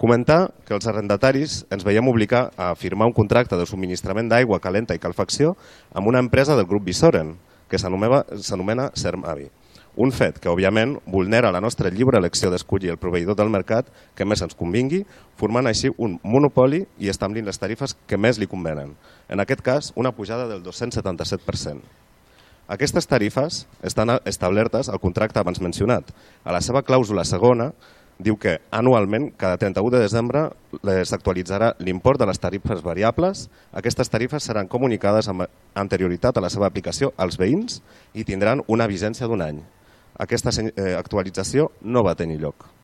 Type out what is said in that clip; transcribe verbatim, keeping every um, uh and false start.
Comentar que els arrendataris ens veiem obligar a firmar un contracte de subministrament d'aigua calenta i calefacció amb una empresa del grup Visoren, que s'anomena Sermavi. Un fet que, òbviament, vulnera la nostra lliure elecció d'escollir el proveïdor del mercat que més ens convingui, formant així un monopoli i establint les tarifes que més li convenen. En aquest cas, una pujada del dos-cents setanta-set per cent. Aquestes tarifes estan establertes al contracte abans mencionat. A la seva clàusula segona, diu que anualment, cada trenta-u de desembre, s'actualitzarà l'import de les tarifes variables. Aquestes tarifes seran comunicades amb anterioritat a la seva aplicació als veïns i tindran una vigència d'un any. Aquesta actualització no va tenir lloc.